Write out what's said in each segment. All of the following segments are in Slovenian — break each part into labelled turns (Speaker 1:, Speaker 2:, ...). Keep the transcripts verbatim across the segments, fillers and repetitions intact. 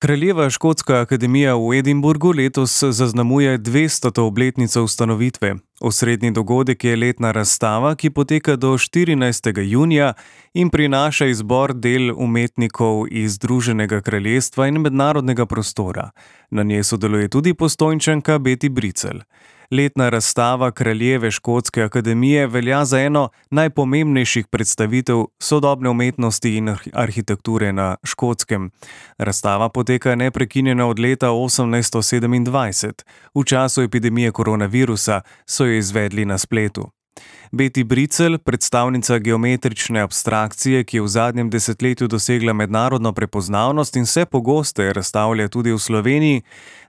Speaker 1: Kraljeva škotska akademija v Edinburgu letos zaznamuje dvestoto obletnico ustanovitve. Osrednji dogodek je letna razstava, ki poteka do štirinajstega junija in prinaša izbor del umetnikov iz Združenega kraljestva in mednarodnega prostora. Na njej sodeluje tudi Postojnčanka Beti Bricelj. Letna razstava Kraljeve škotske akademije velja za eno najpomembnejših predstavitev sodobne umetnosti in arhitekture na Škotskem. Razstava poteka neprekinjeno od leta osemnajststo sedemindvajset. V času epidemije koronavirusa so jo izvedli na spletu. Beti Bricelj, predstavnica geometrične abstrakcije, ki je v zadnjem desetletju dosegla mednarodno prepoznavnost in vse pogosteje razstavlja tudi v Sloveniji,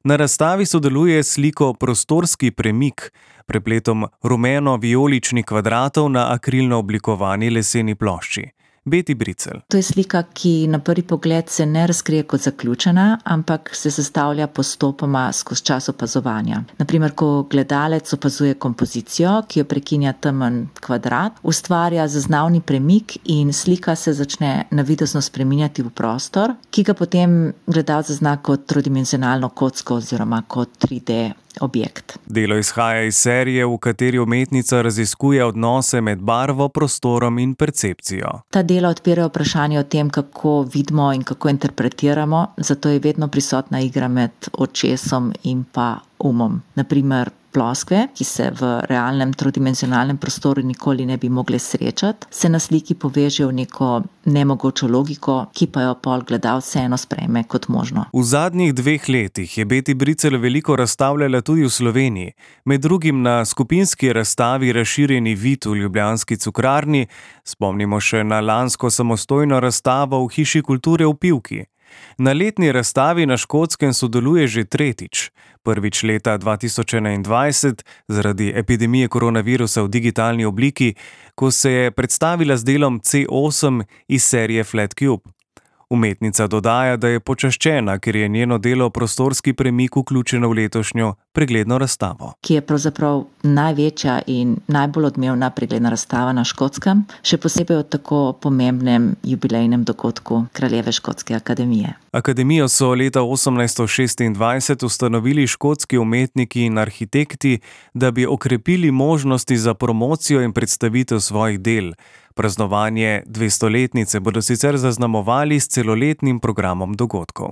Speaker 1: na razstavi sodeluje s sliko Prostorski premik, prepletom rumeno-vijoličnih kvadratov na akrilno oblikovani leseni plošči. Beti Bricelj.
Speaker 2: To je slika, ki na prvi pogled se ne razkrije kot zaključena, ampak se sestavlja postopoma skozi čas opazovanja. Naprimer, ko gledalec opazuje kompozicijo, ki jo prekinja temen kvadrat, ustvarja zaznavni premik in slika se začne navidezno spreminjati v prostor, ki ga potem gledalec zazna kot trodimenzionalno kocko oziroma kot tri D objekt.
Speaker 1: Delo izhaja iz serije, v kateri umetnica raziskuje odnose med barvo, prostorom in percepcijo.
Speaker 2: Ta dela odpirajo vprašanje o tem, kako vidimo in kako interpretiramo, zato je vedno prisotna igra med očesom in pa umom. Naprimer, ploskve, ki se v realnem trodimenzionalnem prostoru nikoli ne bi mogle srečati, se na sliki povežejo v neko nemogočo logiko, ki pa jo pol gledalec vseeno sprejme kot možno.
Speaker 1: V zadnjih dveh letih je Beti Bricelj veliko razstavljala tudi v Sloveniji, med drugim na skupinski razstavi Razširjeni vid v ljubljanski Cukrarni, spomnimo še na lansko samostojno razstavo v Hiši kulture v Pivki. Na letni razstavi na Škotskem sodeluje že tretjič. Prvič leta dva tisoč enaindvajset zaradi epidemije koronavirusa v digitalni obliki, ko se je predstavila z delom C osem iz serije Flat Cube. Umetnica dodaja, da je počaščena, ker je njeno delo Prostorski premik vključeno v letošnjo pregledno razstavo.
Speaker 2: Ki je pravzaprav največja in najbolj odmevna pregledna razstava na Škotskem, še posebej o tako pomembnem jubilejnem dogodku Kraljeve škotske akademije.
Speaker 1: Akademijo so leta osemnajststo šestindvajset ustanovili škotski umetniki in arhitekti, da bi okrepili možnosti za promocijo in predstavitev svojih del. Praznovanje dvestoletnice bodo sicer zaznamovali s celoletnim programom dogodkov.